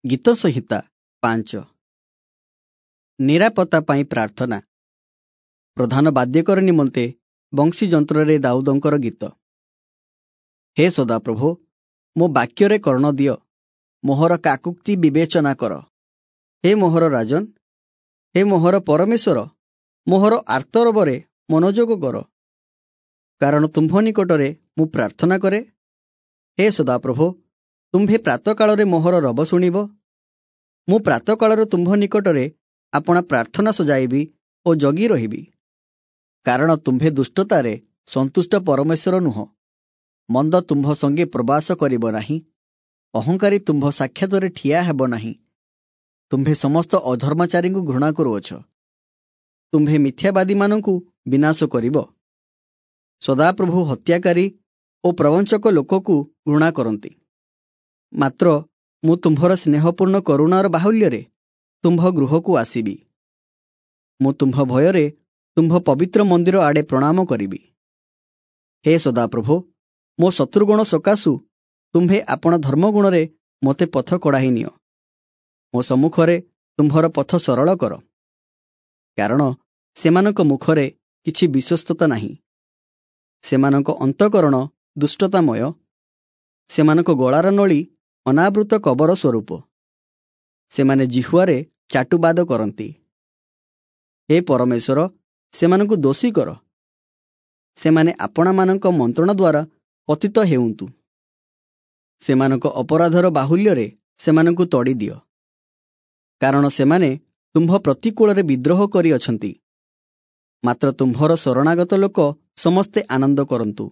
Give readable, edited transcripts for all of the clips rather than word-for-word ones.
ଗୀତ ସଂହିତା 5। ନିରାପତ୍ତା ପାଇଁ ପ୍ରାର୍ଥନା। ପ୍ରଧାନ ବାଦ୍ୟକର ନିମନ୍ତେ ବଂଶୀ ଯନ୍ତ୍ରରେ ଦାଉଦଙ୍କର ଗୀତ। ହେ ସଦାପ୍ରଭୁ, ମୋ ବାକ୍ୟରେ କର୍ଣ୍ଣ ଦିଅ, ମୋହର କାକୁକ୍ତି ବିବେଚନା କର। ହେ ମୋହର ରାଜନ, ହେ ମୋହର ପରମେଶ୍ୱର, ମୋହର ଆର୍ତ୍ତରବରେ ମନୋଯୋଗ କର, କାରଣ ତୁମ୍ଭ ନିକଟରେ ମୁଁ ପ୍ରାର୍ଥନା କରେ। ହେ ସଦାପ୍ରଭୁ, ତୁମ୍ଭେ ପ୍ରାତଃକାଳରେ ମୋହର ରବ ଶୁଣିବ। ମୁଁ ପ୍ରାତଃକାଳରେ ତୁମ୍ଭ ନିକଟରେ ଆପଣା ପ୍ରାର୍ଥନା ସଜାଇବି ଓ ଜଗି ରହିବି। କାରଣ ତୁମ୍ଭେ ଦୁଷ୍ଟତାରେ ସନ୍ତୁଷ୍ଟ ପରମେଶ୍ୱର ନୁହଁ। ମନ୍ଦ ତୁମ୍ଭ ସଙ୍ଗେ ପ୍ରବାସ କରିବ ନାହିଁ, ଅହଙ୍କାରୀ ତୁମ୍ଭ ସାକ୍ଷାତରେ ଠିଆ ହେବ ନାହିଁ। ତୁମ୍ଭେ ସମସ୍ତ ଅଧର୍ମାଚାରୀଙ୍କୁ ଘୃଣା କରୁଅଛ, ତୁମ୍ଭେ ମିଥ୍ୟାବାଦୀମାନଙ୍କୁ ବିନାଶ କରିବ। ସଦାପ୍ରଭୁ ହତ୍ୟାକାରୀ ଓ ପ୍ରବଞ୍ଚକ ଲୋକକୁ ଘୃଣା କରନ୍ତି। ମାତ୍ର ମୁଁ ତୁମ୍ଭର ସ୍ନେହପୂର୍ଣ୍ଣ କରୁଣାର ବାହୁଲ୍ୟରେ ତୁମ୍ଭ ଗୃହକୁ ଆସିବି। ମୁଁ ତୁମ୍ଭ ଭୟରେ ତୁମ୍ଭ ପବିତ୍ର ମନ୍ଦିର ଆଡ଼େ ପ୍ରଣାମ କରିବି। ହେ ସଦାପ୍ରଭୁ, ମୋ ଶତ୍ରୁଗଣ ସକାଶୁ ତୁମ୍ଭେ ଆପଣା ଧର୍ମଗୁଣରେ ମୋତେ ପଥ କଢ଼ାଇ ନିଅ। ମୋ ସମ୍ମୁଖରେ ତୁମ୍ଭର ପଥ ସରଳ କର, କାରଣ ସେମାନଙ୍କ ମୁଖରେ କିଛି ବିଶ୍ୱସ୍ତତା ନାହିଁ। ସେମାନଙ୍କ ଅନ୍ତଃକରଣ ଦୁଷ୍ଟତାମୟ, ସେମାନଙ୍କ ଗଳାର ନଳୀ ଅନାବୃତ କବର ସ୍ୱରୂପ। ସେମାନେ ଜିହ୍ୱାରେ ଚାଟୁବାଦ କରନ୍ତି। ହେ ପରମେଶ୍ୱର, ସେମାନଙ୍କୁ ଦୋଷୀ କର, ସେମାନେ ଆପଣାମାନଙ୍କ ମନ୍ତ୍ରଣା ଦ୍ୱାରା ପତିତ ହେଉନ୍ତୁ। ସେମାନଙ୍କ ଅପରାଧର ବାହୁଲ୍ୟରେ ସେମାନଙ୍କୁ ତଡ଼ି ଦିଅ, କାରଣ ସେମାନେ ତୁମ୍ଭ ପ୍ରତିକୂଳରେ ବିଦ୍ରୋହ କରିଅଛନ୍ତି। ମାତ୍ର ତୁମ୍ଭର ଶରଣାଗତ ଲୋକ ସମସ୍ତେ ଆନନ୍ଦ କରନ୍ତୁ,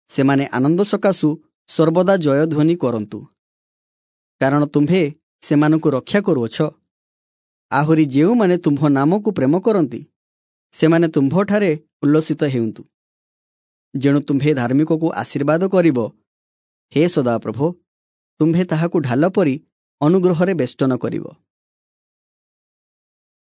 ସେମାନେ ଆନନ୍ଦ ସକାଶୁ ସର୍ବଦା ଜୟଧ୍ୱନି କରନ୍ତୁ, କାରଣ ତୁମ୍ଭେ ସେମାନଙ୍କୁ ରକ୍ଷା କରୁଅଛ। ଆହୁରି ଯେଉଁମାନେ ତୁମ୍ଭ ନାମକୁ ପ୍ରେମ କରନ୍ତି, ସେମାନେ ତୁମ୍ଭଠାରେ ଉଲ୍ଲସିତ ହେଉନ୍ତୁ। ଯେଣୁ ତୁମ୍ଭେ ଧାର୍ମିକକୁ ଆଶୀର୍ବାଦ କରିବ, ହେ ସଦାପ୍ରଭୁ, ତୁମ୍ଭେ ତାହାକୁ ଢାଲ ପରି ଅନୁଗ୍ରହରେ ବେଷ୍ଟନ କରିବ।